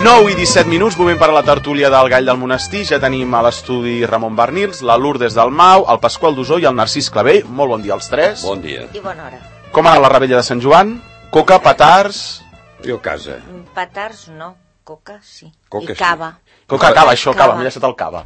9 i 17 minuts, moment per a la tertúlia del Gall del Monestir. Ja tenim a l'estudi Ramon Barnils, la Lourdes del Mau, el Pasqual Dusó i el Narcís Clavell. Molt bon dia als tres. Bon dia. I bona hora. Com ha anat la rebella de Sant Joan? Coca, petards... Jo a casa. Petards no, coca sí. Coca, i cava. sí. Coca, cava, això, cava, m'he deixat el cava.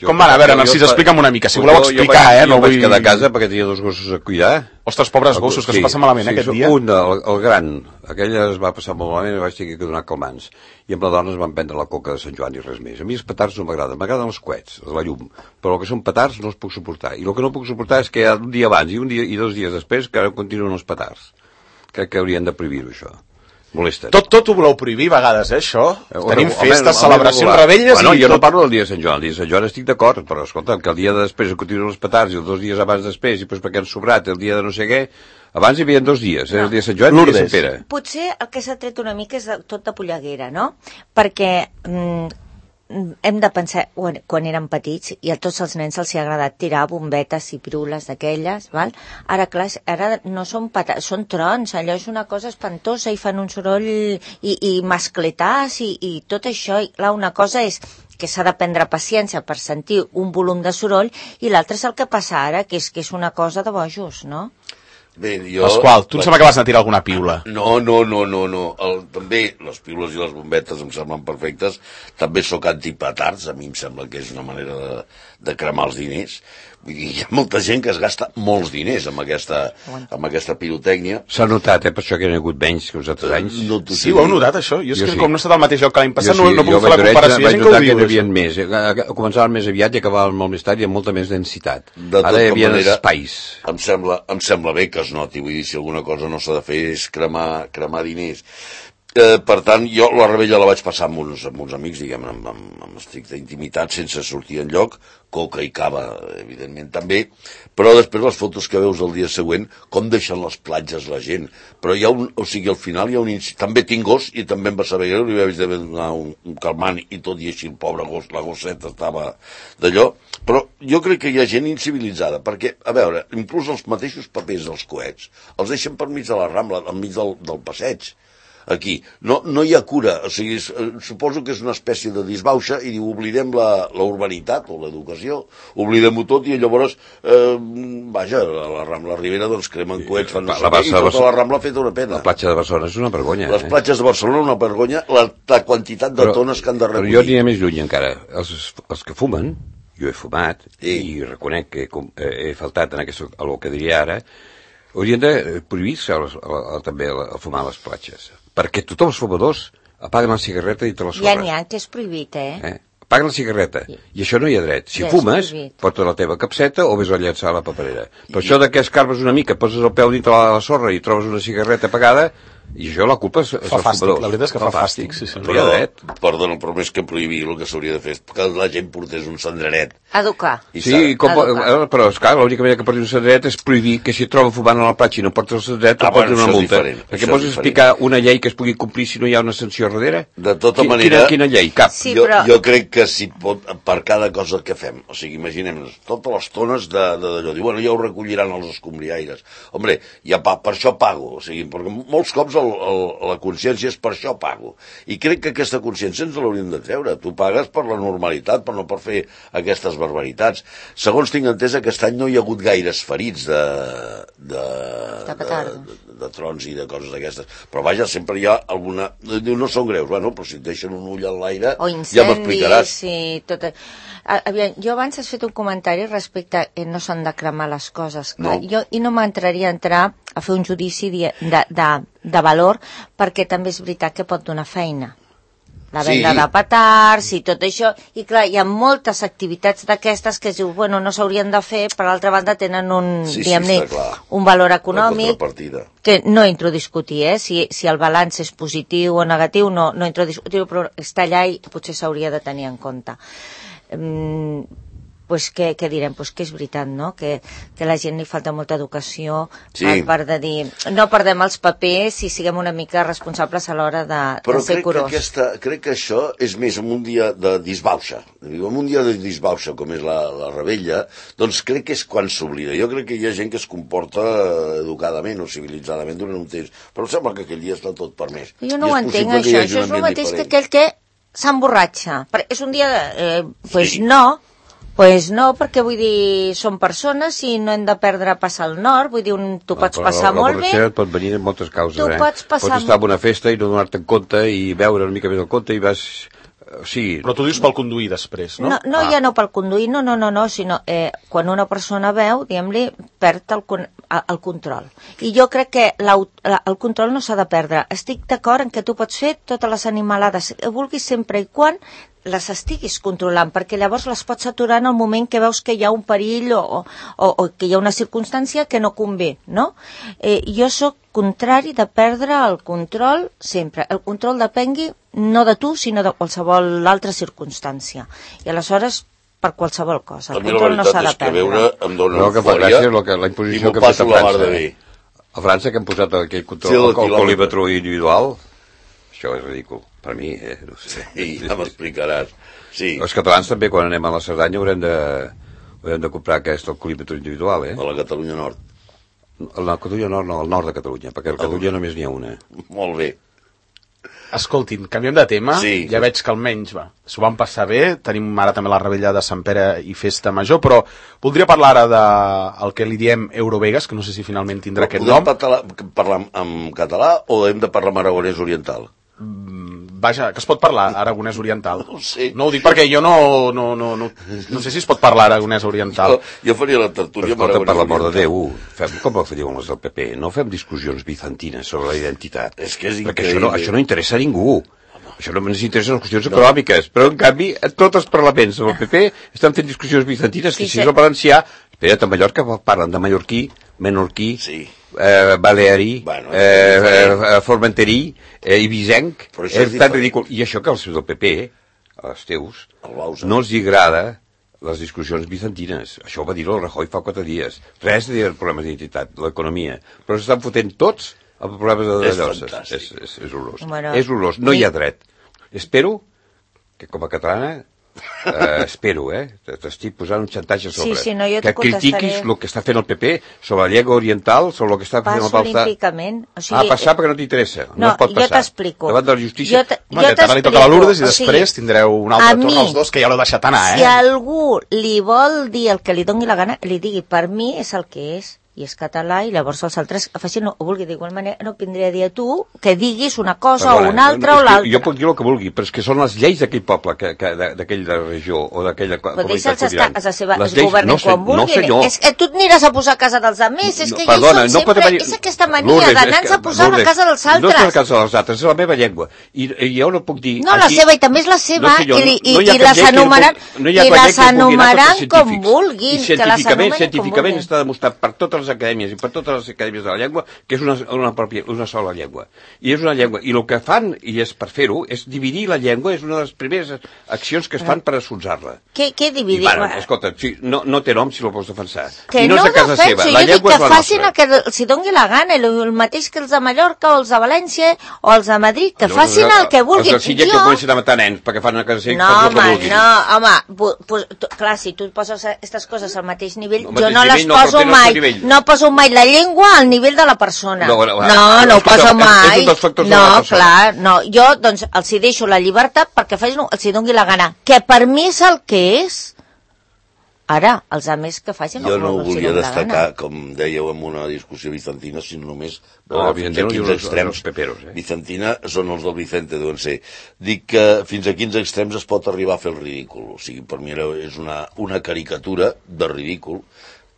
Com va anar? A veure, Narcís, explica'm una mica, si voleu explicar, Jo vaig quedar a casa perquè tenia dos gossos a cuidar. Ostres, pobres gossos, que s'ho passen malament, aquest dia. Un, el gran, aquell es va passar molt malament i vaig tenir que donar calmants. I amb la dona es van prendre la coca de Sant Joan i res més. A mi els petards no m'agraden, m'agraden els coets, la llum. Però el que són petards no els puc suportar. I el que no puc suportar és que un dia abans i 2 dies després que ara continuen els petards. Crec que haurien de prohibir-ho, això. Molesta. Tot ho voleu prohibir a vegades, això? Tenim festes, celebracions, rebelles... Bueno, jo no parlo del dia de Sant Joan. El dia de Sant Joan estic d'acord, però escolta, que el dia de després continuen els petards i els 2 dies abans després i després perquè han sobrat el dia de no sé què... Abans hi havia 2 dies, el dia de Sant Joan i el dia de Sant Pere. Potser el que s'ha tret una mica és tot de polleguera, no? Perquè hem de pensar, quan érem petits, i a tots els nens els hi ha agradat tirar bombetes i pirules d'aquelles, val? Ara, clar, ara no són petards, són trons, allò és una cosa espantosa i fan un soroll i mascletars i tot això. I clar, una cosa és que s'ha de prendre paciència per sentir un volum de soroll i l'altre és el que passa ara, que és una cosa de bojos, no? Bé, Pasqual, tu em sembla que vas anar a tirar alguna piula. No. També les piules i les bombetes em semblen perfectes. També sóc antipetards, a mi em sembla que és una manera de cremar els diners. Vull dir, hi ha molta gent que es gasta molts diners amb aquesta pirotècnia. S'ha notat, per això que hi ha hagut menys que els altres anys. Sí, ho heu notat, això? Jo és que com no he estat al mateix lloc que l'any passat, no puc fer la comparació. Jo vaig notar que hi havia més. Començaven més aviat i acabaven molt més tard i amb molta més densitat. Ara hi havia espais. Em sembla bé que es noti, vull dir, si alguna cosa no s'ha de fer és cremar diners. Per tant, jo la rebella la vaig passar amb uns amics, diguem, amb estricta intimitat, sense sortir enlloc, coca i cava, evidentment també, però després les fotos que veus el dia següent, com deixen les platges la gent, però hi ha al final hi ha també tinc gos i també em va saber greu, li vaig haver de donar un calmant i tot i així el pobre gos, la gosseta estava d'allò, però jo crec que hi ha gent incivilitzada, perquè, a veure, inclús els mateixos papers dels coets els deixen per mig de la Rambla, enmig del passeig. Aquí. No hi ha cura, o sigui, suposo que és una espècie de disbauxa i diu, oblidem la urbanitat o l'educació, oblidem-ho tot i llavors, vaja, a la Rambla Ribera doncs cremen coets, fan no sé què, i tota la Rambla ha fet una pena. La platja de Barcelona és una vergonya. Les platges de Barcelona una vergonya, la quantitat de tones que han de recollir. Però jo aniré més lluny encara. Els que fumen, jo he fumat, i reconec que he faltat en el que diria ara, haurien de prohibir-se també a fumar a les platges. Perquè tothom els fumadors apaguen la cigarreta i te la sorra. Ja n'hi ha que és prohibit, Apaguen la cigarreta. I això no hi ha dret. Si fumes, porta la teva capseta o vés a llançar a la paperera. Però això de que escarbes una mica, poses el peu dintre la sorra i trobes una cigarreta apagada, i això la culpa és dels fumadors. La veritat és que fa fàstic, sí. Però, perdona, però més que prohibir, el que s'hauria de fer és que la gent portés un cendreret. Educar. Sí, però esclar, l'única manera que porti un cendreret és prohibir que si et troba fumant a la platja i no portes el cendreret, et porti una multa. Perquè pots explicar una llei que es pugui complir si no hi ha una sanció darrere? De tota manera... Quina llei? Cap. Jo crec que si pot, per cada cosa que fem, o sigui, imaginem-nos, totes les tones d'allò, diu, bueno, ja ho recolliran els escombriaires. Hombre, per això pago, o sigui, perquè molts cops la consciència és per això pago. I crec que aquesta consciència ens l'hauríem de treure. Tu pagues per la normalitat, però no per fer aquestes barbaritats. Segons tinc entès, aquest any no hi ha hagut gaires ferits de trons i de coses d'aquestes. Però vaja, sempre hi ha alguna... Diu, no són greus, bueno, però si et deixen un ull en l'aire, ja m'explicaràs. Sí, tot... Aviam, jo abans has fet un comentari respecte a no s'han de cremar les coses. Clar. Jo no m'entraria a entrar a fer un judici de valor, perquè també és veritat que pot donar feina. La venda de petards i tot això. I clar, hi ha moltes activitats d'aquestes que es diu, bueno, no s'haurien de fer, per l'altra banda tenen un valor econòmic que no entro a discutir, si el balanç és positiu o negatiu, no entro a discutir, però està allà i potser s'hauria de tenir en compte. Pues què direm? Pues que és veritat, no? Que la gent li falta molta educació a part de dir, no perdem els papers i siguem una mica responsables a l'hora de ser curós. Però crec que això és més en un dia de disbauxa. En un dia de disbauxa, com és la rebella, doncs crec que és quan s'oblida. Jo crec que hi ha gent que es comporta educadament o civilitzadament durant un temps, però em sembla que aquell dia està tot permès. Jo no ho entenc, això. Això és el mateix que aquell que s'emborratxa. És un dia pues no, perquè vull dir, són persones i no hem de perdre a passar al nord, vull dir, tu pots passar molt bé. La pot venir en moltes causes, Pots estar en una festa i no donar-te en compte i veure una mica més el compte i vas... Sí. Però tu dius pel conduir després, no? No, ja no pel conduir, no, sinó quan una persona veu, diguem-li, perd el control. I jo crec que el control no s'ha de perdre. Estic d'acord en que tu pots fer totes les animalades que vulguis sempre i quan les estiguis controlant, perquè llavors les pots aturar en el moment que veus que hi ha un perill o que hi ha una circumstància que no convé, no? Jo sóc contrari de perdre el control sempre. El control depengui no de tu, sinó de qualsevol altra circumstància. I aleshores, per qualsevol cosa. El control no s'ha de perdre. Veure em dóna eufòria la imposició que ha fet a França. A França, que han posat aquell control al colímetre individual, això és ridícul. Per mi, no sé. Sí, ja m'explicaràs. Sí. Els catalans també, quan anem a la Cerdanya, haurem de comprar aquest colímetre individual, A la Catalunya Nord. A la Catalunya Nord no, al nord de Catalunya, perquè a la Catalunya només n'hi ha una. Molt bé. Escoltin, canviem de tema, sí. Ja veig que almenys s'ho van passar bé, tenim ara també la rebella de Sant Pere i Festa Major, però voldria parlar ara del que li diem Eurovegas, que no sé si finalment tindrà aquest nom. Podem parlar en català o hem de parlar en aragonès oriental? Vaja, que es pot parlar aragonès oriental. No ho sé. No ho dic perquè jo no sé si es pot parlar aragonès oriental. Jo faria la tertúlia amb aragonès oriental. Per l'amor de Déu, fem com ho diuen els del PP, no fem discussions bizantines sobre la identitat. És que és perquè això no interessa a ningú. Això no ens interessa les qüestions econòmiques, però en canvi tots els parlaments del PP estan fent discussions bizantines, que si és el valencià, espera't, a Mallorca parlen de mallorquí, menorquí, balearí, formenterí, ibisenc, és tan ridícul. I això que els del PP, els teus, no els agrada les discussions bizantines. Això ho va dir el Rajoy fa 4 dies. Res de dir el problema d'identitat, l'economia. Però s'estan fotent tots els problemes de lloses. És horrorós. És horrorós. No hi ha dret. Espero que com a catalana espero, t'estic posant un xantatge a sobre. Que critiquis el que està fent el PP sobre la llengua oriental, sobre el que està fent el Balsà. Passo olímpicament. Passar perquè no t'interessa. No pot passar. Jo t'explico. Davant de la justícia. Ara li toca a la Lourdes i després tindreu un altre torn als dos, que ja l'heu deixat anar, Si algú li vol dir el que li doni la gana, li digui, per mi és el que és. I és català, i llavors els altres facin o vulgui d'igual manera, no vindria a dir a tu que diguis una cosa o una altra o l'altra. Jo puc dir el que vulgui, però és que són les lleis d'aquell poble, d'aquella regió o d'aquella comunitat sobirana. Es governen quan vulguin. És que tu et aniràs a posar a casa dels altres, és que jo som sempre... És aquesta mania d'anar-nos a posar a la casa dels altres. No és la casa dels altres, és la meva llengua. I jo no puc dir... No, la seva, i també és la seva, i les anomenaran com vulguin. Científicament està demostrat per totes les acadèmies i per totes les acadèmies de la llengua que és una sola llengua. I és una llengua. I el que fan, i és per fer-ho, és dividir la llengua, és una de les primeres accions que es fan per assonsar-la. Què dividir? Escolta, no té nom si lo pots defensar. Que no ho defenso, jo dic que facin el que els doni la gana, el mateix que els de Mallorca o els de València o els de Madrid, que facin el que vulguin. Els de Silla que comencen a matar nens perquè fan el que vulguin. No, home, clar, si tu poses aquestes coses al mateix nivell, jo no les poso mai. No poso mai la llengua al nivell de la persona. No ho poso mai. No, clar, no. Jo, doncs, els hi deixo la llibertat perquè els hi doni la gana. Que per mi és el que és. Ara, els altres que facin... Jo no ho volia destacar, com dèieu, en una discussió bizantina, sinó només... Bizantina són els del Vicente, deuen ser. Dic que fins a quins extrems es pot arribar a fer el ridícul. O sigui, per mi és una caricatura de ridícul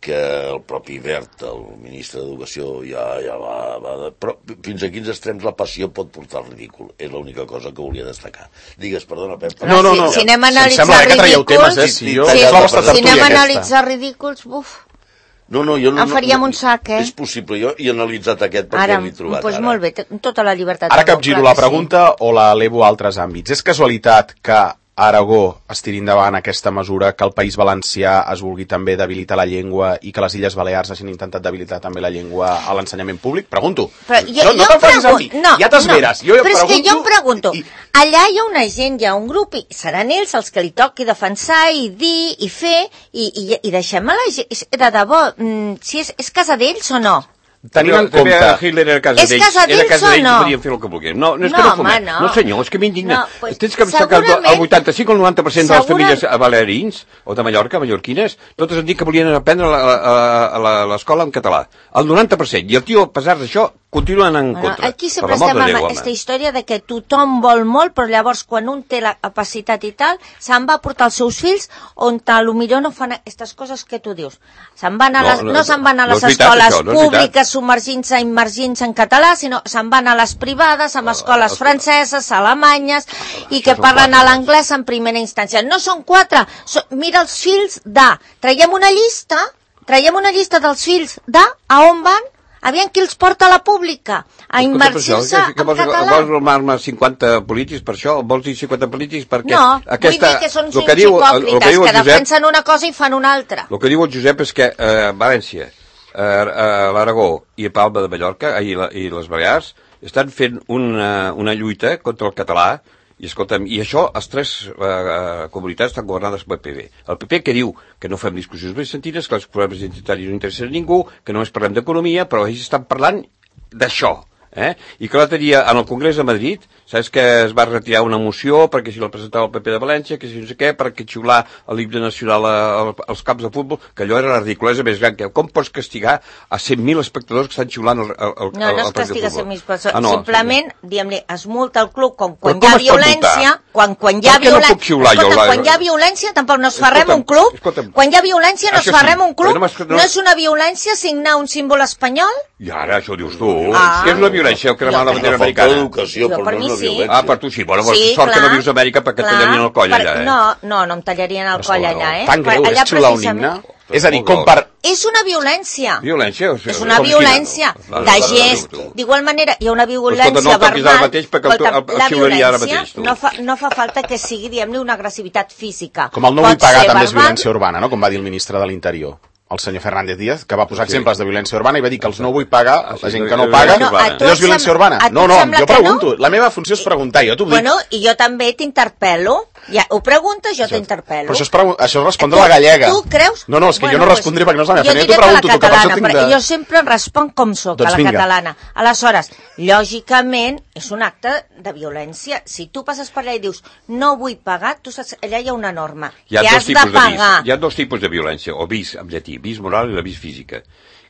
que el propi Wert, el ministre d'Educació, ja va... Però fins a quins extrems la passió pot portar al ridícul. És l'única cosa que volia destacar. Digues, perdona, Pep. No. Si anem a analitzar ridículs... Si anem a analitzar ridículs, buf... Jo no... En faríem un sac, És possible, jo he analitzat aquest perquè l'he trobat ara. Doncs molt bé, tota la llibertat. Ara capgiro la pregunta o la elevo a altres àmbits. És casualitat que Aragó es tiri endavant aquesta mesura, que el País Valencià es vulgui també debilitar la llengua i que les Illes Balears hagin intentat debilitar també la llengua a l'ensenyament públic? Pregunto. No te'n facis a mi, ja t'esveres. Però és que jo em pregunto, allà hi ha una gent, hi ha un grup, i seran ells els que li toqui defensar i dir i fer, i deixem a la gent, de debò, si és casa d'ells o no? tenint en També compte... Hitler era a casa d'ells. És casa d'ells o no? Podien fer el que volguessin. No, és que No, no fumem. home, no. No, senyor, és que m'indigna. No, pues, Tens que pensar que el 85 o el 90% de les famílies balearins o de Mallorca, mallorquines, totes han dit que volien aprendre a l'escola en català. El 90%. I el tio, a pesar d'això, continuen en contra. Aquí sempre estem amb aquesta història de que tothom vol molt, però llavors quan un té la capacitat i tal, se'n va portar els seus fills on potser no fan aquestes coses que tu dius. No se'n van a les escoles públiques submergint-se, immergint-se en català, sinó se'n van a les privades, amb escoles franceses, alemanyes, i que parlen a l'anglès en primera instància. No són 4, mira els fills de... Traiem una llista dels fills de a on van. Aviam qui els porta a la pública a immergir-se en català. Vols normar-me 50 polítics per això? Vols dir 50 polítics perquè... No, vull dir que són uns hipòcrites que defensen una cosa i fan una altra. El que diu el Josep és que València, l'Aragó i Palma de Mallorca i les Balears estan fent una lluita contra el català. I escolta'm, i això, les 3 comunitats estan governades pel PP. El PP que diu que no fem discussions més sentides, que els problemes identitaris no interessen a ningú, que només parlem d'economia, però ells estan parlant d'això. I que l'altre dia, en el Congrés de Madrid, saps que es va retirar una moció perquè si la presentava el PP de València, que si no sé què, perquè xiular l'himne nacional als camps de futbol, que allò era la ridiculesa més gran. Com pots castigar a 100.000 espectadors que estan xiulant el partit de futbol? No es castiga a 100.000 persones. Simplement, diguem-li, es multa el club quan hi ha violència, quan hi ha violència... Quan hi ha violència, tampoc no es fa res un club. Quan hi ha violència no es fa res un club. No és una violència signar un símbol espanyol? I ara, això dius tu. Què és una violència? O cremar la bandera americana? Educació, però no és una violència. Per tu sí. Bueno, sort que no vius a Amèrica perquè et tallarien el coll allà, No em tallarien el coll allà, Tan greu és xiular un himne? És a dir, com per... És una violència. Violència? És una violència de gest. D'igual manera, hi ha una violència verbal. La violència no fa falta que sigui, diguem-ne, una agressivitat física. Com el no vull pagar també és violència urbana, no? Com va dir el ministre de l'Interior, el senyor Fernández Díaz, que va posar exemples de violència urbana i va dir que els no vull pagar, la gent que no paga, no és violència urbana. No, jo pregunto. La meva funció és preguntar, jo t'ho dic. Bueno, i jo també t'interpel·lo. Ja, ho preguntes, jo t'interpel·lo. Però això és respondre a la gallega. Tu creus? No, és que jo no respondré perquè no és la meva feina. Jo t'ho pregunto, tu, que per això tinc de... Jo sempre responc com soc, a la catalana. Aleshores, lògicament, és un acte de violència. Si tu passes per allà i dius, no vull pagar, tu saps, allà hi ha una norma. Que has de pagar. Hi ha 2 tipus de violència, o vis, en llatí, vis moral i la vis física.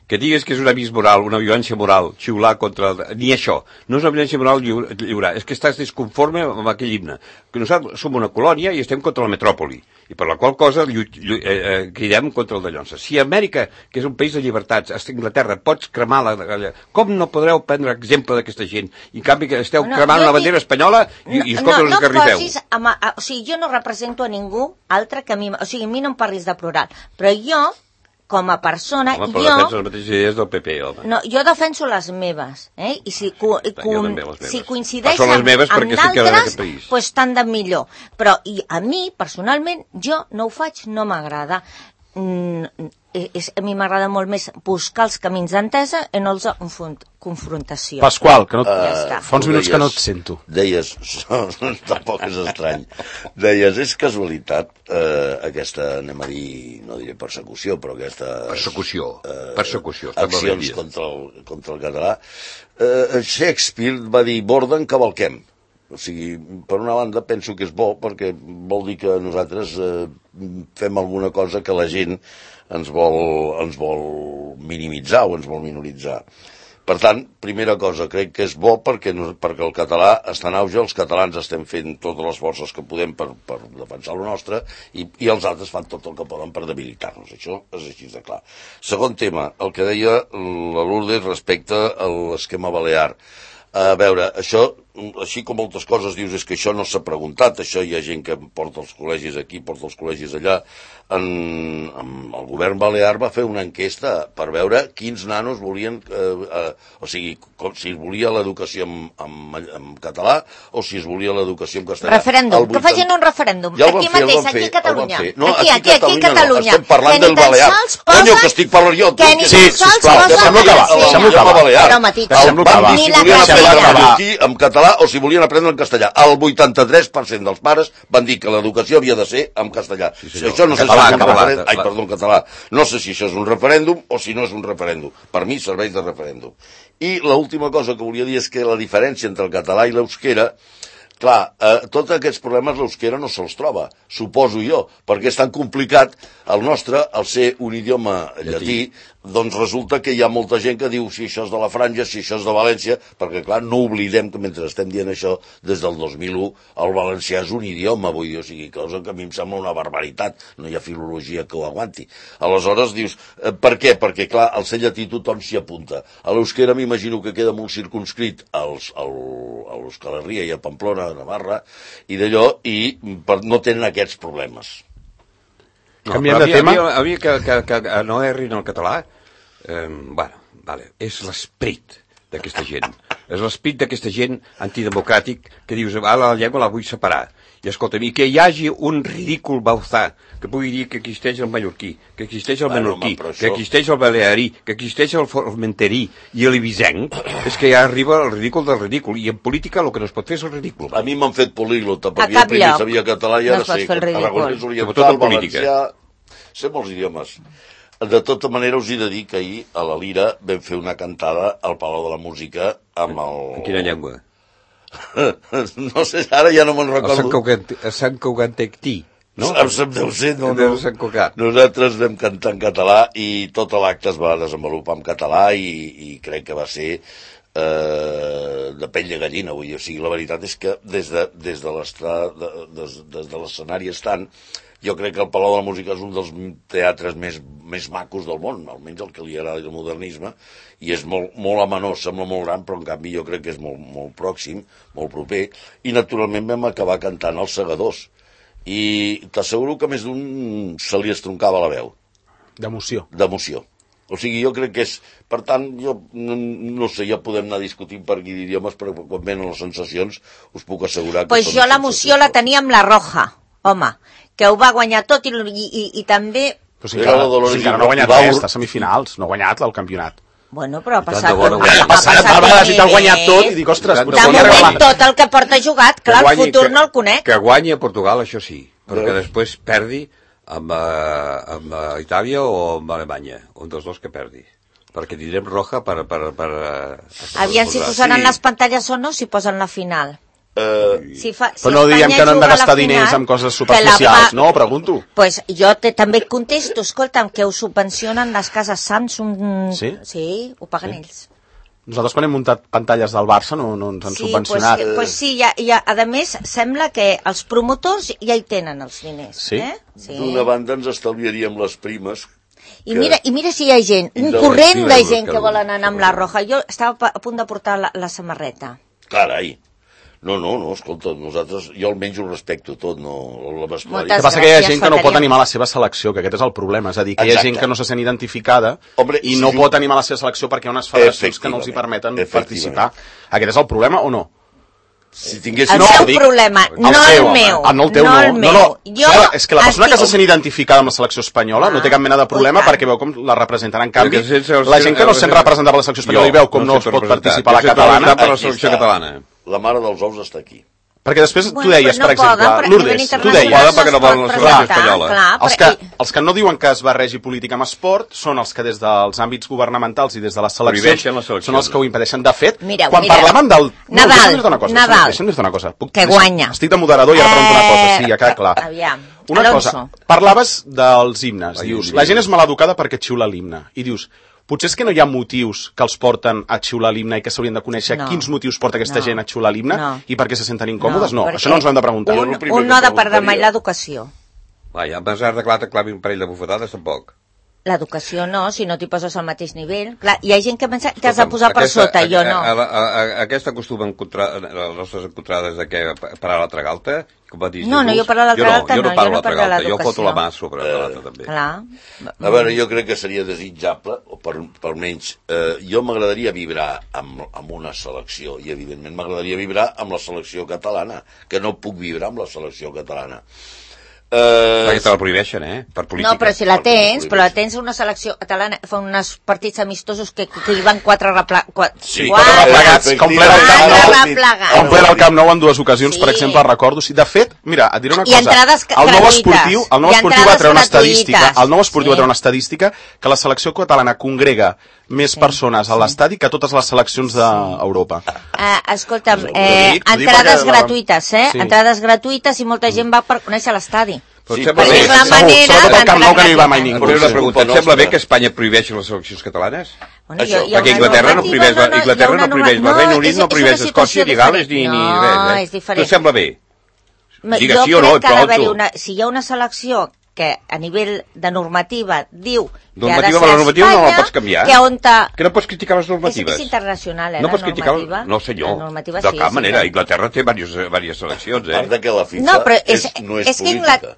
Que digues que és una vis moral, una violència moral, xiular contra... Ni això. No és una violència moral lliurar. És que estàs desconforme amb aquell himne. Que nosaltres som una colònia i estem contra la metròpoli. I per la qual cosa cridem contra el de Llonsa. Si Amèrica, que és un país de llibertats, a Inglaterra, pots cremar com no podreu prendre exemple d'aquesta gent? I en canvi que esteu cremant una bandera espanyola i escolta, us esgarrifeu. O sigui, jo no represento a ningú altre que a mi... O sigui, a mi no em parlis de plural. Però jo, com a persona, però defensa les mateixes idees del PP, home. No, jo defenso les meves, i si coincideixen amb d'altres, doncs tant de millor. Però a mi, personalment, jo no ho faig, no m'agrada. A mi m'agrada molt més buscar els camins d'entesa i no els confrontació. Pasqual, que no fa uns minuts que no et sento. Deies, tampoc és estrany, deies, és casualitat aquesta, anem a dir, no diré persecució, però aquesta... Persecució. Accions contra el català. Shakespeare va dir, borden, cavalquem. O sigui, per una banda penso que és bo, perquè vol dir que nosaltres fem alguna cosa que la gent ens vol minimitzar o ens vol minoritzar. Per tant, primera cosa, crec que és bo perquè el català està en auge, els catalans estem fent totes les forces que podem per defensar el nostre i els altres fan tot el que poden per debilitar-nos. Això és així de clar. Segon tema, el que deia la Lourdes respecte a l'esquema balear. A veure, això, així com moltes coses dius, és que això no s'ha preguntat, això hi ha gent que porta els col·legis aquí, porta els col·legis allà. El govern balear va fer una enquesta per veure quins nanos volien, o sigui, si es volia l'educació en català o si es volia l'educació en castellà. Referèndum, que facin un referèndum. Ja aquí mateix, aquí a Catalunya. No, aquí a Catalunya. Estem parlant del balear. Conyo, que estic parlant jo. Sí, sisplau, deixem-lo acabar. Però, Matitxa, ni la català. En català català o si volien aprendre en castellà. El 83% dels pares van dir que l'educació havia de ser en castellà. Això no sé si és un referèndum. Ai, perdó, en català. No sé si això és un referèndum o si no és un referèndum. Per mi serveix de referèndum. I l'última cosa que volia dir és que la diferència entre el català i l'euskera, clar, tots aquests problemes l'euskera no se'ls troba, suposo jo, perquè és tan complicat el nostre, al ser un idioma llatí, doncs resulta que hi ha molta gent que diu si això és de la Franja, si això és de València, perquè clar, no oblidem que mentre estem dient això, des del 2001, el valencià és un idioma, vull dir, o sigui, cosa que a mi em sembla una barbaritat, no hi ha filologia que ho aguanti. Aleshores dius, per què? Perquè clar, al ser llatí tothom s'hi apunta. A l'euskera m'imagino que queda molt circunscrit a l'Euskal Herria i a Pamplona, a Navarra, i d'allò, i no tenen aquests problemes. Canviem de tema. A mi que no errin el català, bueno, vale, és l'esperit d'aquesta gent. És l'esperit d'aquesta gent antidemocràtic que dius, la llengua la vull separar. I escolta'm, i que hi hagi un ridícul bauzà que pugui dir que existeix el mallorquí, que existeix el menorquí, que existeix el balearí, que existeix el formenterí i l'ebisenc, és que ja arriba el ridícul del ridícul. I en política el que no es pot fer és el ridícul. A mi m'han fet políglota, perquè jo primer sabia català i ara sé aragonès, oriental, valencià, sé molts idiomes. De tota manera us he de dir que ahir a la Lira vam fer una cantada al Palau de la Música amb el... En quina llengua? No sé, ara ja no me'n recordo. A Sant Cugat-Tectí, no? Deu ser, no. Nosaltres vam cantar en català i tot l'acte es va desenvolupar en català i crec que va ser de pell de gallina, vull dir. O sigui, la veritat és que des de l'escenari estant, jo crec que el Palau de la Música és un dels teatres més macos del món, almenys el que li agrada el modernisme, i és molt amenós, sembla molt gran, però en canvi jo crec que és molt pròxim, molt proper, i naturalment vam acabar cantant Els Segadors, i t'asseguro que més d'un se li estroncava la veu. D'emoció. D'emoció. O sigui, jo crec que és... Per tant, jo no sé, ja podem anar discutint per aquí d'idiomes, però quan venen les sensacions us puc assegurar que... Pues jo l'emoció la tenia amb la Roja, home, que ho va guanyar tot i també... Però si encara no ha guanyat res, està a semifinals, no ha guanyat el campionat. Bueno, però ha passat... Ha passat, si t'ha guanyat tot i dic, ostres... De moment tot el que porta jugat, clar, el futur no el conec. Que guanyi a Portugal, això sí, però que després perdi amb Itàlia o amb Alemanya, un dels dos que perdi. Perquè tindrem Roja per... Aviam si posaran les pantalles o no, si posen la final. Però no diem que no hem de gastar diners en coses superficials, no? Pregunto. Pues jo també et contesto, escolta'm, que ho subvencionen les cases Samsung. Sí? Sí, ho paguen ells. Nosaltres quan hem muntat pantalles del Barça no ens han subvencionat. Pues sí, a més sembla que els promotors ja hi tenen els diners. Sí? Sí. D'una banda ens estalviaríem les primes. I mira si hi ha gent, un corrent de gent que volen anar amb la Roja. Jo estava a punt de portar la samarreta. Carai. No, escolta, nosaltres, jo almenys ho respecto tot, no la vestuari. El que passa que hi ha gent que no pot animar la seva selecció, que aquest és el problema, és a dir, que hi ha gent que no se sent identificada i no pot animar la seva selecció perquè hi ha unes federacions que no els hi permeten participar. Aquest és el problema o no? Si tingués... El seu problema, no el meu. No el teu, no. És que la persona que se sent identificada amb la selecció espanyola no té cap mena de problema perquè veu com la representen. En canvi, la gent que no sent representada per la selecció espanyola i veu com no es pot participar a la catalana... La mare dels ous està aquí. Perquè després tu deies, per exemple, Lourdes, tu deies... perquè no volen la selecció espanyola. Els que no diuen que es barregi política amb esport són els que des dels àmbits governamentals i des de les seleccions són els que ho impedeixen. De fet, quan parlaven del... Nadal, deixa'm dir-te una cosa. Que guanya. Estic de moderador i ara pregunto una cosa, sí, ja queda clar. Aviam. Una cosa, parlaves dels himnes, dius, la gent és maleducada perquè xiula l'himne, i dius... Potser és que no hi ha motius que els porten a xiular l'himne i que s'haurien de conèixer quins motius porta aquesta gent a xiular l'himne i per què se senten incòmodes? No, això no ens ho hem de preguntar. Un no ha de perdre mai l'educació. Vaja, amb has de clar te clavi un parell de bufetades, tampoc. L'educació no, si no t'hi poses al mateix nivell. Clar, hi ha gent que pensa que has de posar per sota, jo no. Aquesta costuma les nostres encontrades de què parar l'altra galta? No, jo parar l'altra galta no, jo no parlo l'educació. Jo foto la mà sobre l'altra també. A veure, jo crec que seria desitjable, o per almenys, jo m'agradaria vibrar amb una selecció, i evidentment m'agradaria vibrar amb la selecció catalana, que no puc vibrar amb la selecció catalana. Perquè te la prohibeixen, per política. No, però si la tens una selecció catalana, fa uns partits amistosos que hi van 4 replegats. Sí, 4 replegats, com ple el Camp Nou en 2 ocasions, per exemple, recordo. De fet, mira, et diré una cosa. I entrades gratuïtes. El nou esportiu va treure una estadística que la selecció catalana congrega més persones a l'estadi que totes les seleccions d'Europa. Escolta'm, entrades gratuïtes, entrades gratuïtes i molta gent va per conèixer l'estadi. Perquè és la manera... Sobretot el Camp Nou que no hi va mai ningú. Però una pregunta, et sembla bé que Espanya prohibeixi les seleccions catalanes? Perquè Inglaterra no prohibeix el Regne Unit, no prohibeix Escòcia, ni Gales, ni res. Tu et sembla bé? Digues sí o no, si hi ha una selecció que a nivell de normativa diu que ha de ser Espanya, no la pots canviar. Que no pots criticar les normatives. És internacional, no pots criticar no senyor, de cap manera. Inglaterra té diverses seleccions, A part de que la FIFA no és política.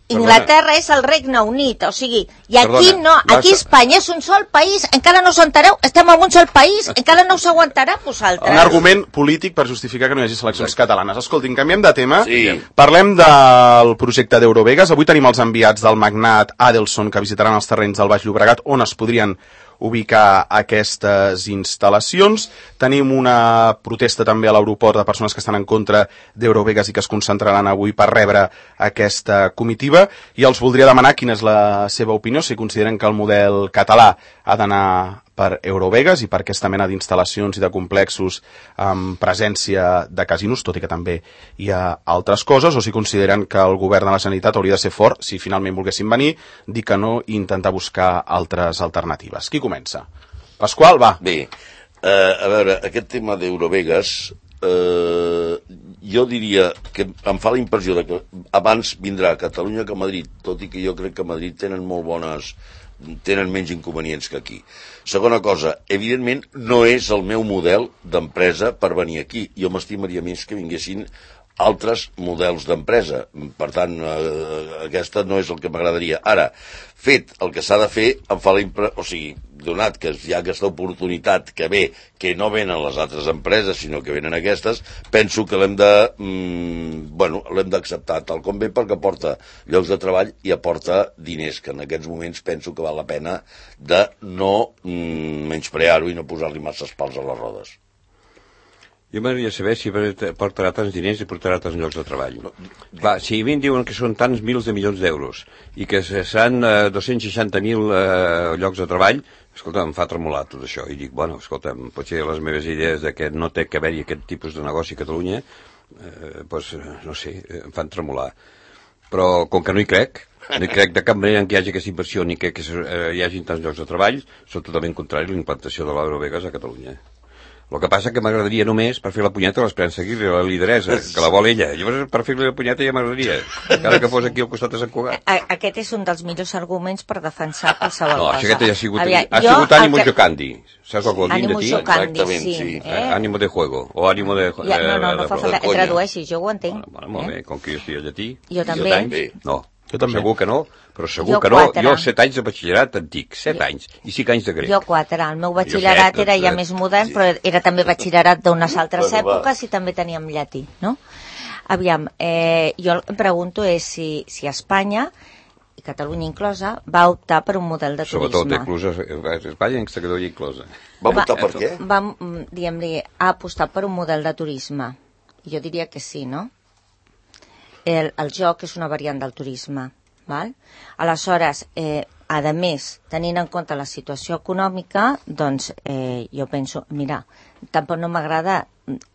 Inglaterra és el Regne Unit, o sigui, i aquí no, aquí Espanya és un sol país, encara no us entereu, estem en un sol país, encara no us aguantarà vosaltres. Un argument polític per justificar que no hi hagi seleccions catalanes. Escoltin, canviem de tema, parlem del projecte d'Eurovegas. Avui tenim els enviats del magnat Adelson que visitaran els terrenys del Baix Llobregat on es podrien ubicar aquestes instal·lacions. Tenim una protesta també a l'aeroport de persones que estan en contra d'Eurovegas i que es concentraran avui per rebre aquesta comitiva, i els voldria demanar quina és la seva opinió, si consideren que el model català ha d'anar per Eurovegas i per aquesta mena d'instal·lacions i de complexos amb presència de casinos, tot i que també hi ha altres coses, o si consideren que el govern de la Generalitat hauria de ser fort, si finalment volguessin venir, dir que no i intentar buscar altres alternatives. Qui comença? Pasqual, va. Bé, a veure, aquest tema d'Eurovegas, jo diria que em fa la impressió de que abans vindrà a Catalunya que a Madrid, tot i que jo crec que a Madrid tenen menys inconvenients que aquí. Segona cosa, evidentment no és el meu model d'empresa per venir aquí. Jo m'estimaria més que vinguessin altres models d'empresa. Per tant, aquesta no és el que m'agradaria. Ara, fet el que s'ha de fer, em fa la impressió, o sigui, donat que hi ha aquesta oportunitat que ve, que no venen les altres empreses, sinó que venen aquestes, penso que l'hem d'acceptar tal com ve, perquè aporta llocs de treball i aporta diners, que en aquests moments penso que val la pena de no menysprear-ho i no posar-li masses pals a les rodes. Jo m'agradaria saber si portarà tants diners i portarà tants llocs de treball. Clar, si a mi em diuen que són tants mils de milions d'euros i que seran 260.000 llocs de treball, escolta, em fa tremolar tot això. I dic, bueno, escolta, potser les meves idees de que no té que haver-hi aquest tipus de negoci a Catalunya, doncs, no sé, em fan tremolar. Però com que no hi crec de cap manera en què hi hagi aquesta inversió ni que hi hagi tants llocs de treball, soc totalment contrari a la implantació de l'Eurovegas a Catalunya. El que passa que m'agradaria només per fer la punyeta a l'Esperança Aguirre, la lideresa, que la vol ella. Llavors, per fer-li la punyeta ja m'agradaria, encara que fos aquí al costat de Sant Cugat. Aquest és un dels millors arguments per defensar qualsevol cosa. No, aquest ja ha sigut ànimo giocandi. Saps el que vol dir de ti? Exactament, sí. Ànimo de juego, o ànimo de... No fa falta, tradueixi, jo ho entenc. Molt bé, com que jo estic a llatí. Jo també. No. Jo també. Segur que no, però segur que no. Jo 7 anys de batxillerat antic, 7 anys, i 5 anys de grec. Jo 4. El meu batxillerat era ja més modern, però era també batxillerat d'unes altres èpoques i també teníem llatí, no? Aviam, jo em pregunto si Espanya, i Catalunya inclosa, va optar per un model de turisme. Sobretot Espanya i Catalunya inclosa. Va optar per què? Ha apostat per un model de turisme. Jo diria que sí, no? El joc és una variant del turisme, val? Aleshores, a més, tenint en compte la situació econòmica, doncs jo penso, mira, tampoc no m'agrada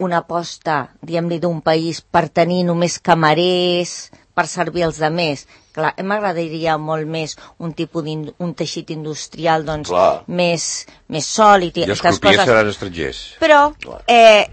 una aposta, diguem-li, d'un país per tenir només camarers, per servir els altres. Clar, m'agradaria molt més un tipus un teixit industrial doncs, més sòlid i aquestes coses. I els crupiers seran estrangers. Però,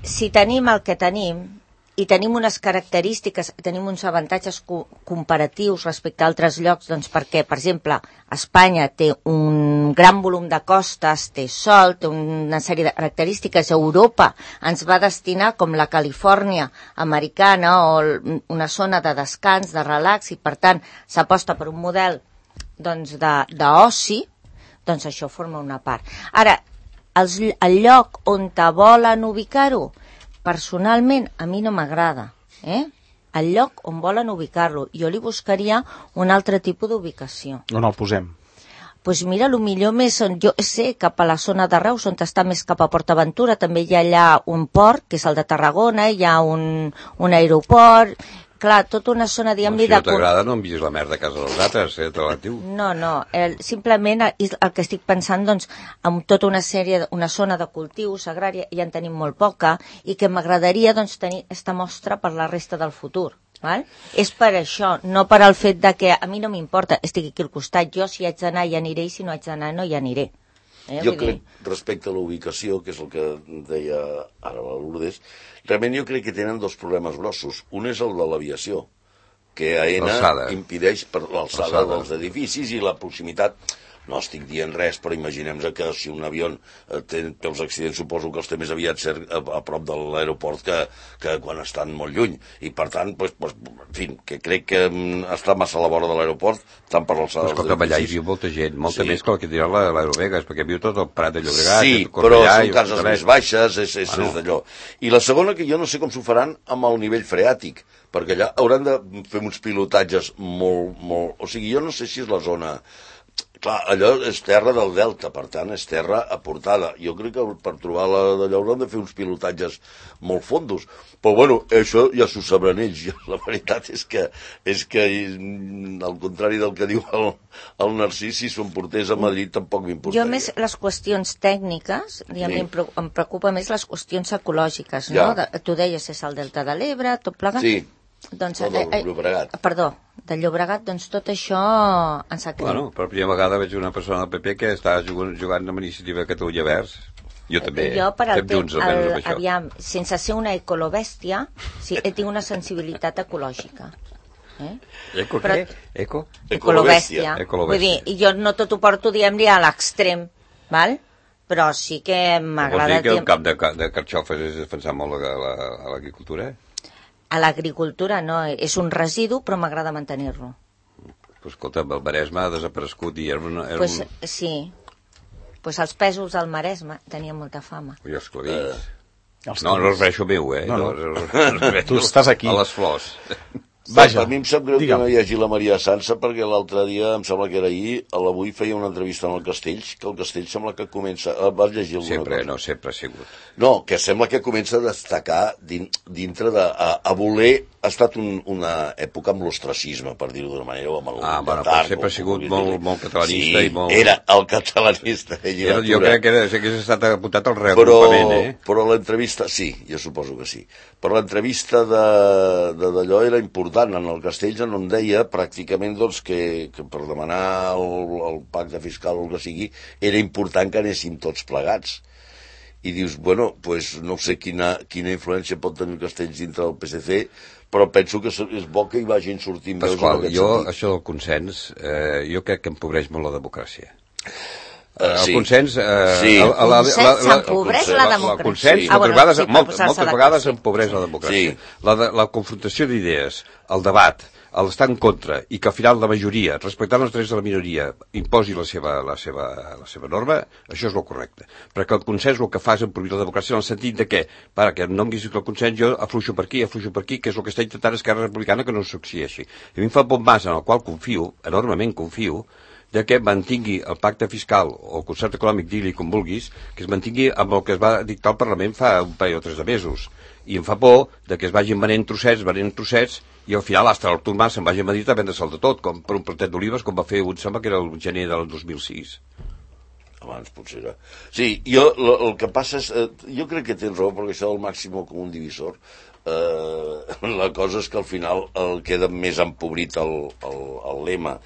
si tenim el que tenim, i tenim unes característiques, tenim uns avantatges comparatius respecte a altres llocs, doncs perquè, per exemple, Espanya té un gran volum de costes, té sol, té una sèrie de característiques. Europa ens va destinar com la Califòrnia americana o una zona de descans, de relax, i per tant s'aposta per un model d'oci, doncs això forma una part. Ara, el lloc on te volen ubicar-ho, personalment, a mi no m'agrada, el lloc on volen ubicar-lo. Jo li buscaria un altre tipus d'ubicació. On el posem? Doncs mira, el millor més, jo sé, cap a la zona de Reus, on està més cap a PortAventura, també hi ha allà un port, que és el de Tarragona, hi ha un aeroport, clar, tota una zona, diguem-li... Si no t'agrada, no envies la merda a casa dels altres, No, simplement el que estic pensant, doncs, amb tota una zona de cultius agrària, ja en tenim molt poca, i que m'agradaria, doncs, tenir aquesta mostra per la resta del futur. Val? És per això, no per al fet de que a mi no m'importa, estic aquí al costat, jo si haig d'anar hi aniré i si no haig d'anar no hi aniré. Jo crec, respecte a la ubicació, que és el que deia ara la Lourdes, realment jo crec que tenen dos problemes grossos. Un és el de l'aviació, que AENA impedeix per l'alçada dels edificis i la proximitat. No estic dient res, però imaginem que si un avió té els accidents, suposo que els té més aviat ser a prop de l'aeroport que quan estan molt lluny. I per tant, en fi, que crec que està massa a la vora de l'aeroport, tant per l'alçada dels edificis. Escolta, allà hi viu molta gent, molta més que el que dirà l'Aerovegas, perquè viu tot el Prat de Llobregat. Sí, però són cases més baixes, és d'allò. I la segona, que jo no sé com s'ho faran amb el nivell freàtic, perquè allà hauran de fer uns pilotatges molt... O sigui, jo no sé si és la zona... Clar, allò és terra del delta, per tant, és terra aportada. Jo crec que per trobar-la d'allò hauran de fer uns pilotatges molt fondos. Però, bueno, això ja s'ho sabran ells. La veritat és que, al contrari del que diu el Narcís, si s'ho portés a Madrid tampoc m'importaria. Jo més les qüestions tècniques, em preocupa més les qüestions ecològiques, no? Tu deies, és el delta de l'Ebre, tot plegat. Sí. Doncs, del Llobregat. Perdó, del Llobregat, doncs tot això ens ha creat. Bueno, per primera vegada veig una persona del PP que està jugant amb Iniciativa Catalunya Verds. Jo també. Jo, per aviam, sense ser una ecolobèstia, sí, tinc una sensibilitat ecològica. Ecolobèstia. Vull dir, jo no tot ho porto, diguem-li, a l'extrem, val? Però sí que m'agrada... Vols dir que el camp de carxofes és defensar molt l'agricultura? A l'agricultura no, és un residu, però m'agrada mantenir-lo. Pues escolta, el Maresme ha desaparegut i sí, pues els pèsols al Maresme tenien molta fama. I els clavits. No es refereixo meu, No. Tu estàs aquí. A les flors. Vaja, a mi em sap greu que no hi hagi la Maria Sansa, perquè l'altre dia, em sembla que era ahir, a l'Avui feia una entrevista amb el Castells, que el Castells sembla que comença... Vas llegir alguna cosa? Sempre ha sigut. No, que sembla que comença a destacar dintre de... a voler... Ha estat una època amb l'ostracisme, per dir-ho d'una manera, o amb el però sempre ha sigut molt catalanista i molt... Sí, era el catalanista. Jo crec que hagués estat apuntat al reagrupament, Però l'entrevista... Sí, jo suposo que sí. Però l'entrevista d'allò era important. En el Castells on deia pràcticament doncs, que per demanar el pacte fiscal o el que sigui era important que anéssim tots plegats. I dius, bueno, pues no sé quina influència pot tenir el Castells dintre del PSC, però penso que és bo que hi vagin sortint veus en aquest sentit. Això del consens, jo crec que empobreix molt la democràcia. El consens... S'empobreix la democràcia. El consens, moltes vegades empobreix la democràcia. La confrontació d'idees, el debat, l'estar en contra, i que al final la majoria, respectant els drets de la minoria, imposi la seva norma, això és el correcte. Perquè el consens el que fa és empobrir la democràcia en el sentit de que, que no em guisis el consens, jo afluixo per aquí, que és el que està intentant Esquerra Republicana que no succeeixi. A mi em fa un bon mas en el qual confio, enormement confio, de que mantingui el pacte fiscal o el concert econòmic, digui com vulguis, que es mantingui amb el que es va dictar al Parlament fa un parell o 3 de mesos. I em fa por de que es vagin venent trossets, i al final hasta l'Artur Mas se'n vagi a Madrid a vendre-se'l de tot, com per un plantet d'olives, com va fer un sembla que era el gener del 2006. Abans potser era. Sí, el que passa és... jo crec que tens raó, perquè això del màxim comú divisor, la cosa és que al final queda més empobrit el lema.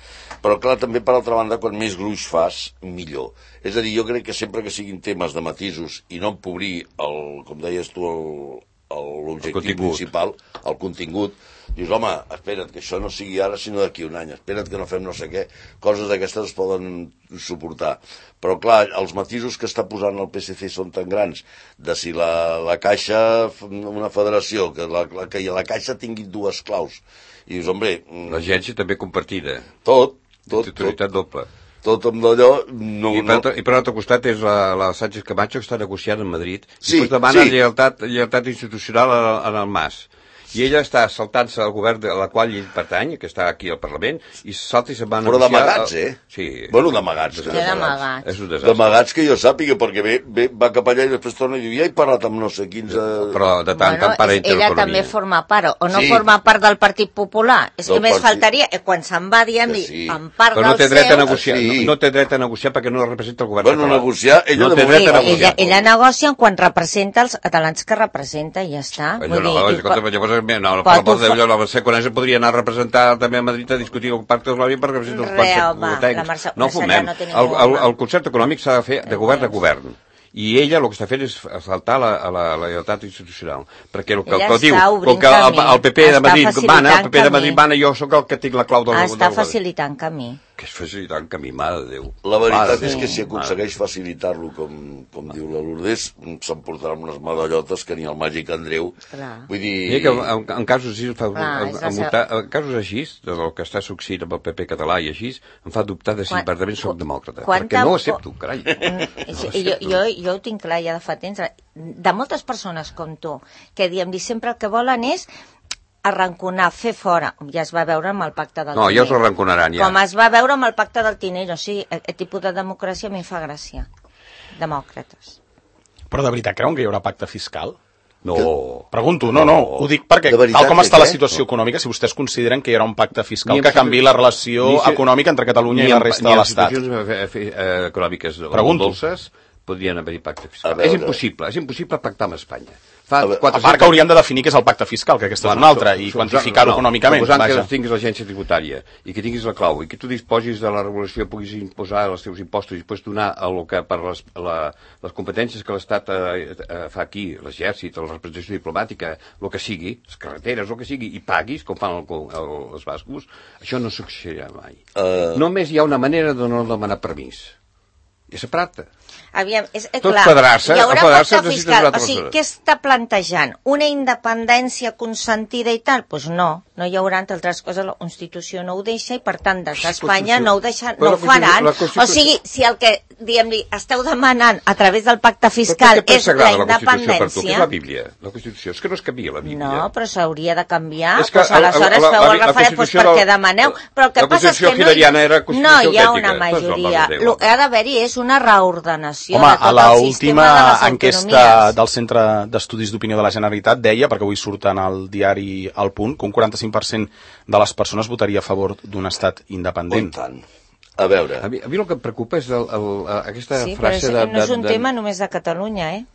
Però clar, també per altra banda, quan més gruix fas, millor. És a dir, jo crec que sempre que siguin temes de matisos i no empobrir, com deies tu, l'objectiu principal, el contingut, dius, home, espera't, que això no sigui ara sinó d'aquí un any, espera't que no fem no sé què, coses d'aquestes es poden suportar. Però clar, els matisos que està posant el PSC són tan grans, de si la Caixa, una federació, que la Caixa tingui 2 claus, i dius, hombre... L'agència també compartida. Tot. Titularitat doble. Tot amb d'allò... I per l'altre costat és la Sánchez Camacho que està negociant a Madrid i pues demana lleialtat institucional en el Mas. I ella està saltant-se al govern de la qual ell pertany, que està aquí al Parlament, i salta i se'n va Però negociar... d'amagats, Sí. Bueno, d'amagats. d'amagats. És un desastre. D'amagats que jo sàpiga, perquè va cap allà i després torna i diu, ja he parlat amb no sé quins... Però de tant en part entra ella l'economia. també forma part, o no Sí. forma part del Partit Popular. És que Del més partit. faltaria, quan se'n va dient, Sí. en part Però no té del dret a seu... negociar, Sí. no té dret a negociar perquè no representa el govern Bueno, català. negociar, ella no de té moment dret a Sí, negociar. ella negocia quan representa els catalans que representa i ja està. No, escolta, llavors, no, per Però l'amor de tu Déu, la Mercè Conesa podria anar a representar també a Madrid a discutir el pacte econòmic perquè representa uns quants Home, la tècnics. Mercè No Conesa fumem. no té ningú, home. El concert econòmic s'ha de fer de govern a govern. I ella el que està fent és faltar a la lleialtat institucional. Perquè el que Ella diu, està obrint com que el PP de camí, Madrid està mana, el PP de facilitant Madrid camí. mana, jo sóc el que tinc la clau del Està govern. facilitant camí. Que és facilitant camí, mare de Déu. La veritat Mare de és Déu, que si mare de aconsegueix facilitar-lo, com diu la Lourdes, s'emportarà unes medallotes que ni el màgic Andreu... Clar. Vull Mira dir... que en casos així, Clar, és la en casos així, del que està succeint amb el PP català i així, em fa dubtar de si verdaderament soc demòcrata. Perquè no ho accepto, carai. Jo ho tinc clar ja de fa temps. De moltes persones com tu, que diem, sempre el que volen és arranconar, fer fora. Ja es va veure amb el pacte del No, ja Tinell. us arranconaran, ja. Com es va veure amb el pacte del Tinell. O sigui, aquest tipus de democràcia a mi em fa gràcia. Demòcrates. Però de veritat creuen que hi haurà pacte fiscal? No. Pregunto, no, ho dic perquè De veritat tal com que està la què? situació econòmica, si vostès consideren que hi haurà un pacte fiscal Ni en que canviï la relació econòmica entre Catalunya i la resta de l'Estat. Ni en situacions econòmiques Pregunto. dolces podrien haver-hi pacte fiscal. A veure. És impossible pactar amb Espanya. A veure, A part que haurien de definir què és el pacte fiscal, que aquesta és una altra, i quantificar-ho econòmicament. Suposant Vaja. que tinguis l'agència tributària i que tinguis la clau i que tu disposis de la regulació, puguis imposar els teus impostos i després donar el que per les competències que l'Estat fa aquí, l'exèrcit, la representació diplomàtica, el que sigui, les carreteres, el que sigui, i paguis, com fan els bascos, això no succeirà mai. Només hi ha una manera de no demanar permís. I separar-te. Aviam, és Tot clar, federar-se, hi haurà federar-se pacte necessites fiscal. una altra O sigui, persona. què està plantejant? Una independència consentida i tal? Doncs pues no hi haurà, entre altres coses, la Constitució no ho deixa i, per tant, des d'Espanya no ho deixa, no ho faran. O sigui, si el que, diguem-li, esteu demanant a través del pacte fiscal és la independència... És la Bíblia, la Constitució. És que no es canvia la Bíblia. No, però s'hauria de canviar. És que Pues aleshores feu el referent, doncs perquè demaneu. Però el que passa és que no hi ha una majoria. El que ha d'haver-hi és una reordenació Home, de a tot la el sistema última de les enquesta autonomies. del Centre d'Estudis d'Opinió de la Generalitat deia, perquè avui surten al diari El Punt, que un 45% de les persones votaria a favor d'un estat independent. tant. A veure, A mi el que em preocupa és aquesta Sí, però frase de... no és un tema només de Catalunya,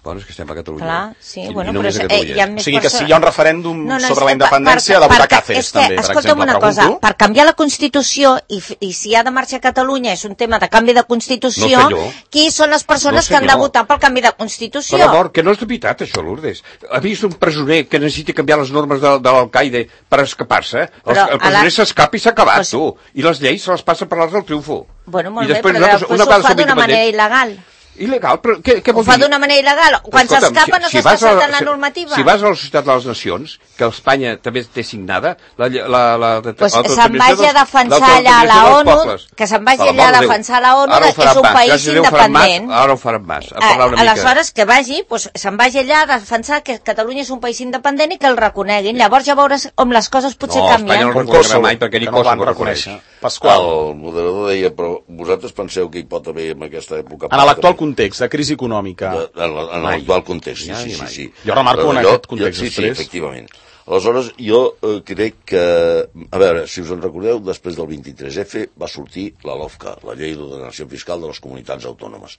Bueno, és que estem a Catalunya. Clar, sí, I bueno, només però a Catalunya. hi ha O més sigui que si persones. hi ha un referèndum No, sobre és la independència, ha de votar Cáceres, també, per escolta'm exemple. una cosa, Pregunto. per canviar la Constitució, i si ha de marxar a Catalunya és un tema de canvi de Constitució, No, senyor. qui són les persones No, que han de senyor. votar pel canvi de Constitució? Per amor, que no és de veritat, això, Lourdes. Ha vist un presoner que necessita canviar les normes de l'alcaide per escapar-se? Però El presoner s'escapa i s'ha acabat, Pues- tu. I les lleis se les passa per l'arts del triomfo. Bueno, molt I bé, després però nosaltres, després una ho vegada fa som d'una manera independents- il·legal. Il·legal, però què Ho vol fa dir? d'una manera il·legal. Quan Escolta'm, s'escapa no s'està saltant la normativa. Si vas a la Societat de les Nacions, que Espanya també té signada, Pues se'n vagi a defensar allà a la ONU, que se'n vagi allà a defensar la ONU, és un país independent. Ara ho faran mas, a parlar una mica. Aleshores, que vagi, pues, se'n vagi allà a defensar que Catalunya és un país independent i que el reconeguin. Llavors ja veuràs com les coses potser No, Espanya canvien. no Com reconeixerà Kosovo, mai, perquè ni que no el van Kosovo reconeix. reconèixer. Pasqual, el moderador deia, però vosaltres penseu que hi pot haver en aquesta època... en l'actual context de crisi econòmica, En l'actual context, sí. Jo remarco en aquest context Sí, després. efectivament. Aleshores, jo crec que... A veure, si us en recordeu, després del 23F va sortir la LOFCA, la Llei d'Ordenació Fiscal de les Comunitats Autònomes.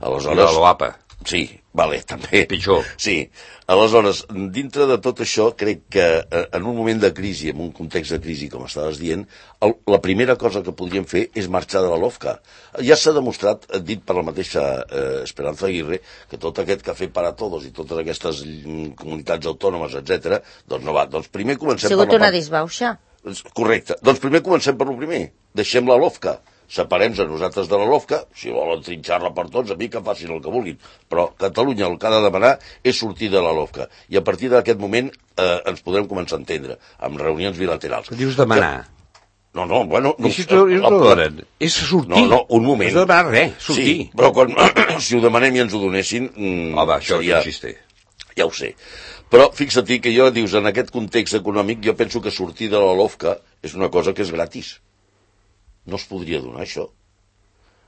I la LOAPA. Sí, vale, també. Pitjor. Sí. Aleshores, dintre de tot això, crec que en un moment de crisi, en un context de crisi, com estaves dient, la primera cosa que podríem fer és marxar de la LOFCA. Ja s'ha demostrat, dit per la mateixa Esperanza Aguirre, que tot aquest café para todos i totes aquestes comunitats autònomes, etc, doncs no va. Doncs primer comencem Ha sigut per la una part... disbauxa. Correcte. Doncs primer comencem per lo primer. Deixem la LOFCA. Separem-nos a nosaltres de la LOFCA. Si volen trinxar-la per tots, a mi que facin el que vulguin. Però Catalunya el que ha de demanar és sortir de la LOFCA. I a partir d'aquest moment ens podrem començar a entendre, amb reunions bilaterals. Que dius demanar? No, bueno... I si no ho donen? És sortir. No, un moment. No has de demanar res, sortir. Sí, però quan, si ho demanem i ens ho donessin... Home, això seria... no existe. Ja ho sé. Però fixa't que jo, dius, en aquest context econòmic, jo penso que sortir de la LOFCA és una cosa que és gratis. No es podria donar això.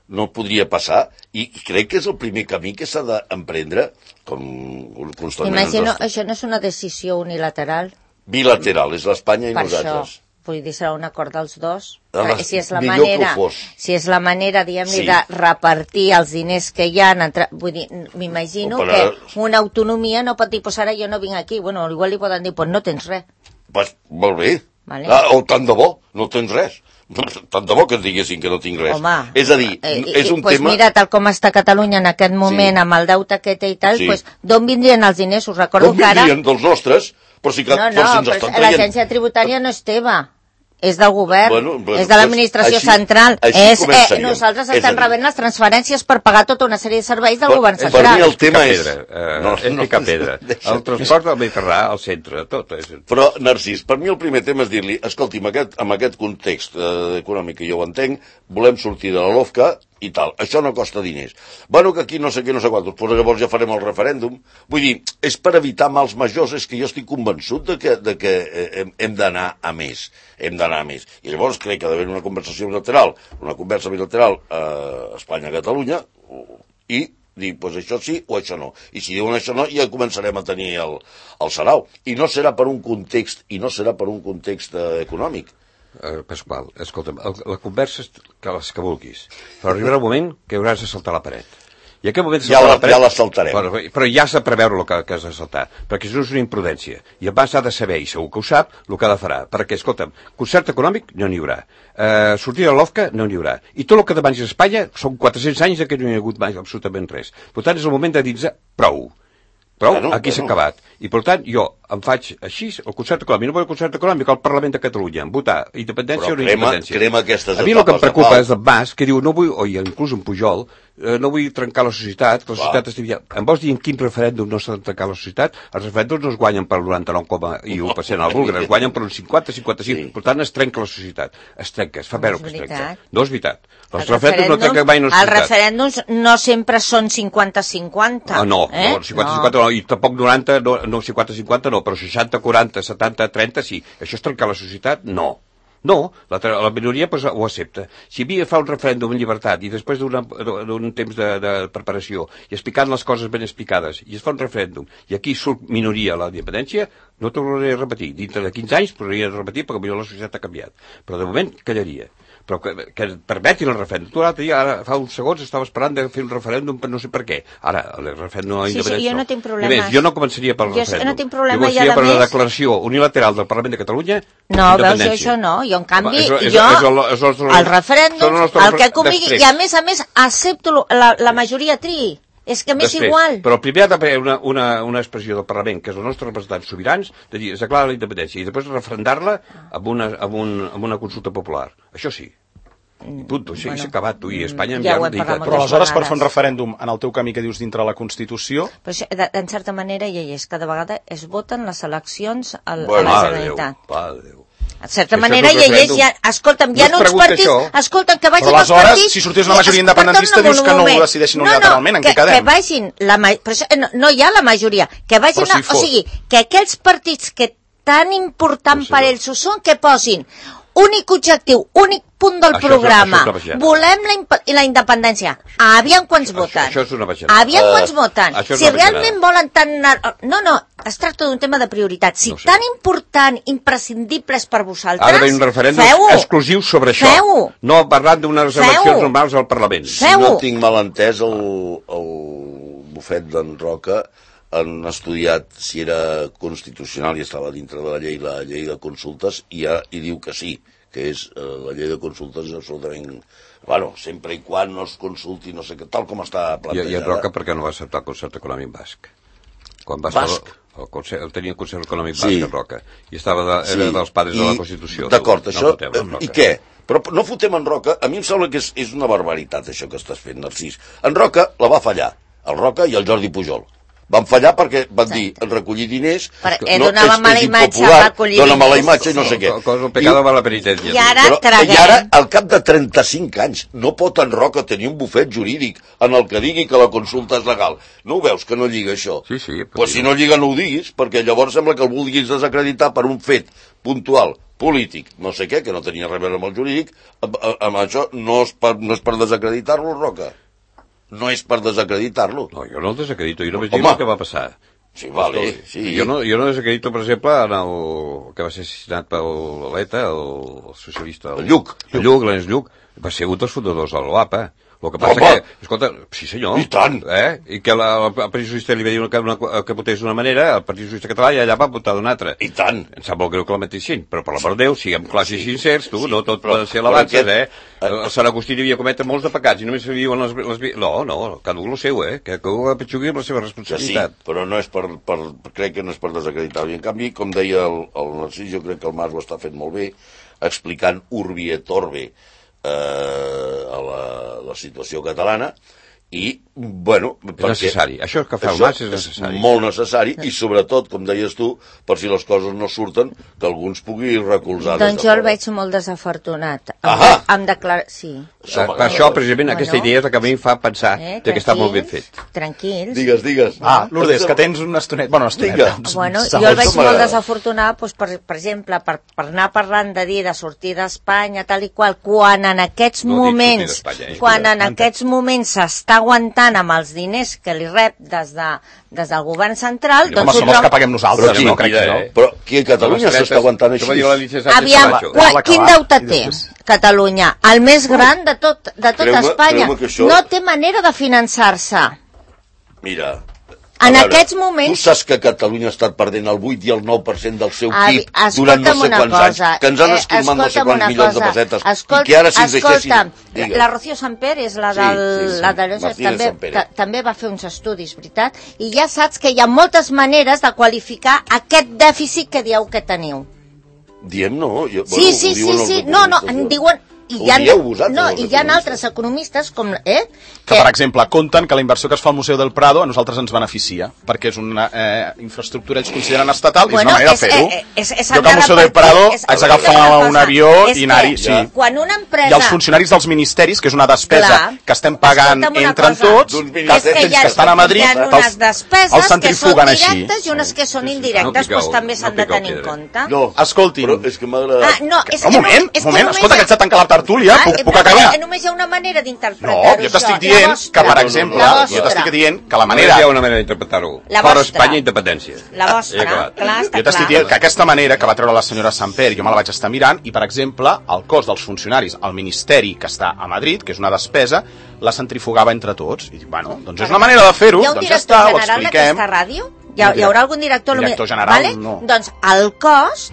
No podria passar, i crec que és el primer camí que s'ha d'emprendre, com constantment... Imagino, això no és una decisió unilateral? Bilateral, és l'Espanya i nosaltres. Això, vull dir, serà un acord dels dos. Si és la manera, si és la manera, diguem-ne, de repartir els diners que hi ha, vull dir, m'imagino que una autonomia no pot dir, pues ara jo no vinc aquí, bueno, igual li poden dir, pues no tens res. Pues molt bé, o tant de bo, no tens res. Tant de bo que et diguessin que no tinc res. Home, és a dir, és un tema... Mira, tal com està Catalunya en aquest moment, amb el deute que té i tal, d'on vindrien els diners? Us recordo que ara... D'on vindrien? Dels nostres? Però si que, però l'agència tributària no és teva, és del govern, és de l'administració central. Nosaltres estem rebent les transferències per pagar tota una sèrie de serveis del govern central. Per mi el tema és... És picar pedra. El transport del Mediterrà, al centre, tot. Però, Narcís, per mi el primer tema és dir-li, escolti, amb aquest context econòmic que jo ho entenc, volem sortir de la LOFCA i tal. Això no costa diners. Bueno, que aquí no sé què, no sé quantos, però llavors ja farem el referèndum. Vull dir, és per evitar mals majors, és que jo estic convençut de que hem d'anar a més. Hem d'anar a més. I llavors crec que ha d'haver una conversa bilateral Espanya-Catalunya i dir, doncs això sí o això no. I si diuen això no, ja començarem a tenir el sarau. I no serà per un context, econòmic. Pasqual, escolta'm, la conversa és les que vulguis, però arribarà un moment que hauràs de saltar la paret. I en aquest moment ja la saltarem. Però ja s'ha de preveure el que has de saltar, perquè això és una imprudència. I abans ha de saber, i segur que ho sap, el que ha de farà. Perquè, escolta'm, concert econòmic no n'hi haurà. Sortir de l'OFCA no n'hi haurà. I tot el que demanis a Espanya són 400 anys que no hi ha hagut mai absolutament res. Per tant, és el moment de dir-se prou. Aquí s'ha acabat. I per tant, jo em faig així, el concert econòmic, no vull el concert econòmic al Parlament de Catalunya, votar independència o no independència. A mi el que em preocupa és el Mas, que diu, no vull, o inclús en Pujol, no vull trencar la societat, que la societat estigui... Em vols dir en quin referèndum no s'ha de trencar la societat? Els referèndums no es guanyen per 99,1% al búlgar, es guanyen per un 50-55%. Per tant, es trenca la societat. Es trenca, es fa veure que es trenca. No és veritat. Els referèndums no trenquen mai una societat. Els referèndums no sempre són 50-50. No, 50-50 no, i tampoc 90, no 50-50 no, però 60-40, 70-30 sí. Això és trencar la societat? No. No, la minoria pues, ho accepta. Si havia fa un referèndum en llibertat i després d'un temps de preparació i explicant les coses ben explicades i es fa un referèndum i aquí surt minoria la independència, no tornaré a repetir. Dintre de 15 anys tornaria a repetir perquè potser la societat ha canviat. Però de moment callaria. Però que permetin el referèndum. Tu l'altre dia, ara fa uns segons, estava esperant de fer un referèndum per no sé per què. Ara, el referèndum a independència jo no tinc problemes. Jo no començaria pel referèndum. Jo no tinc problema, jo començaria per la declaració unilateral del Parlament de Catalunya. No, veus, jo això no. Jo, en canvi, el referèndum, el que convingui, i a més, accepto la majoria triï. És que m'és igual. Però primer ha d'haver una expressió del Parlament, que és els nostres representants sobirans, de dir, es declara la independència, i després referendar-la amb una consulta popular. Això sí. I punt, això s'ha acabat, tu, i Espanya ja ho però aleshores per fer un referèndum en el teu camí que dius dintre la Constitució... Però això, en certa manera hi és, cada vegada es voten les eleccions a la Generalitat. Déu. En certa manera hi és, escolta'm, hi ha uns partits, escolta'm, que vagin els partits... Però aleshores, si sortís una majoria independentista, dius que no ho decideixin unilateralment, en què quedem? Que vagin, no hi ha la majoria, que vagin, o sigui, que aquells partits que tan important per ells ho són, que posin únic objectiu, únic punt del programa, volem la independència. Aviam quants voten. Això és una baixada. Aviam quants voten. Si realment volen tant... No, es tracta d'un tema de prioritat. Si tan important, imprescindible és per vosaltres, ha d'haver un referèndum exclusiu sobre això. No parlant d'unes eleccions normals al Parlament. Si no tinc mal entès, el bufet d'en Roca han estudiat si era constitucional i estava dintre de la llei de consultes i diu que sí, que és la llei de consultes és absolutament... Bueno, sempre i quan no es consulti, no sé què, tal com està plantejada. I en Roca per què no va acceptar el concert econòmic basc? Basc? Tenia el concert econòmic basc en Roca i era dels padres de la Constitució. D'acord, això... I què? Però no fotem en Roca, a mi em sembla que és una barbaritat això que estàs fent, Narcís. En Roca la va fallar, el Roca i el Jordi Pujol. Van fallar perquè van dir, recollir diners donava mala imatge, va recollir dona mala diners, imatge i no sé què. El pecado va a la penitència. I ara Però, traguem. I ara, al cap de 35 anys, no pot en Roca tenir un bufet jurídic en el que digui que la consulta és legal. No ho veus, que no lliga això? Sí, sí. Pues si no lliga no ho diguis, perquè llavors sembla que el vulguis desacreditar per un fet puntual, polític, no sé què, que no tenia res a veure amb el jurídic. Amb això no és per desacreditar-lo, Roca. No és per desacreditar-lo. No, jo no el desacredito, jo només dic el que va passar. Sí, vale, sí. Jo no desacredito, per exemple, en el que va ser assassinat per l'ETA, el socialista... El Lluc. L'Ernest Lluc, va ser un dels fundadors de l'OAPA. El que passa que, escolta, sí senyor. I tant. I que el Partit Socialista li va dir que votés d'una manera, el Partit Socialista català i allà va votar d'una altra. I tant. Em sap molt greu que la mateixin, però per l'amor de Déu, siguem clars i sincers, tu, no tot pot ser alabances, El Sant Agustí devia cometre molts de pecats i només se viuen les... No, cada un el seu, que ho apetxugui amb la seva responsabilitat. Sí, però no és crec que no és per desacreditar. I en canvi, com deia el Narcís, jo crec que el Mas ho està fent molt bé, explicant urbi et orbi a la situació catalana i, bueno... És necessari. Això que fa el Mas és necessari. Molt necessari i, sobretot, com deies tu, per si les coses no surten, que alguns pugui recolzar. Doncs jo el veig molt desafortunat. Sí. Per això, precisament, aquesta idea és la que a mi em fa pensar que està molt ben fet. Tranquils. Digues. Lourdes, que tens una estoneta... Bueno, jo el veig molt desafortunat, doncs, per exemple, per anar parlant de dir de sortir d'Espanya, tal i qual, quan en aquests moments s'està aguantant amb els diners que li rep des del govern central... Home, som els que paguem nosaltres, no? Però qui a Catalunya s'està aguantant així? Aviam, quin deute té Catalunya? El més gran de tot Espanya. No té manera de finançar-se. Mira... En aquests moments... Tu saps que Catalunya ha estat perdent el 8 i el 9% del seu PIB durant no sé quants anys, que ens han esquimat no sé quants milions de pessetes, i que ara si ens deixessin... La Rocío Samper és la també va fer uns estudis, veritat? I ja saps que hi ha moltes maneres de qualificar aquest dèficit que dieu que teniu. Diem no. Sí. No, en diuen... I hi ha altres economistes com... Que, per exemple, compten que la inversió que es fa al Museu del Prado a nosaltres ens beneficia, perquè és una infraestructura ells consideren estatal i és una manera de fer-ho. Jo que al Museu del Prado haig d'agafar un avió i anar-hi, sí. Quan una empresa... I els funcionaris dels ministeris, que és una despesa que estem pagant entre tots, que estan a Madrid, els centrifuguen així. Hi ha unes despeses que són directes i unes que són indirectes, doncs també s'han de tenir en compte. No, escoltin. Però és que m'ha agradat... Un moment, escolta, que ets de tancar la tertúlia, puc acabar? Només hi ha una manera d'interpretar-ho. No, jo t'estic dient que, per exemple, que la manera... Només hi ha una manera d'interpretar-ho. Fora Espanya, independència. La vostra, clar, està clar. Jo t'estic dient que aquesta manera que va treure la senyora Samper, jo me la vaig estar mirant, i, per exemple, el cost dels funcionaris al Ministeri que està a Madrid, que és una despesa, la centrifugava entre tots. I dic, bueno, doncs és una manera de fer-ho, doncs ja està, ho expliquem. Hi ha un director general d'aquesta ràdio? Hi haurà algun director? Director general, no. Doncs el cost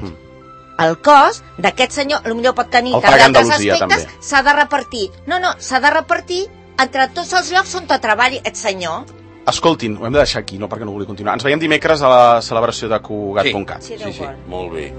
d'aquest senyor, potser pot tenir d'altres aspectes, s'ha de repartir. No, s'ha de repartir entre tots els llocs on treballi aquest senyor. Escoltin, ho hem de deixar aquí, no perquè no vulgui continuar. Ens veiem dimecres a la celebració de Cugat.cat. Sí, molt bé.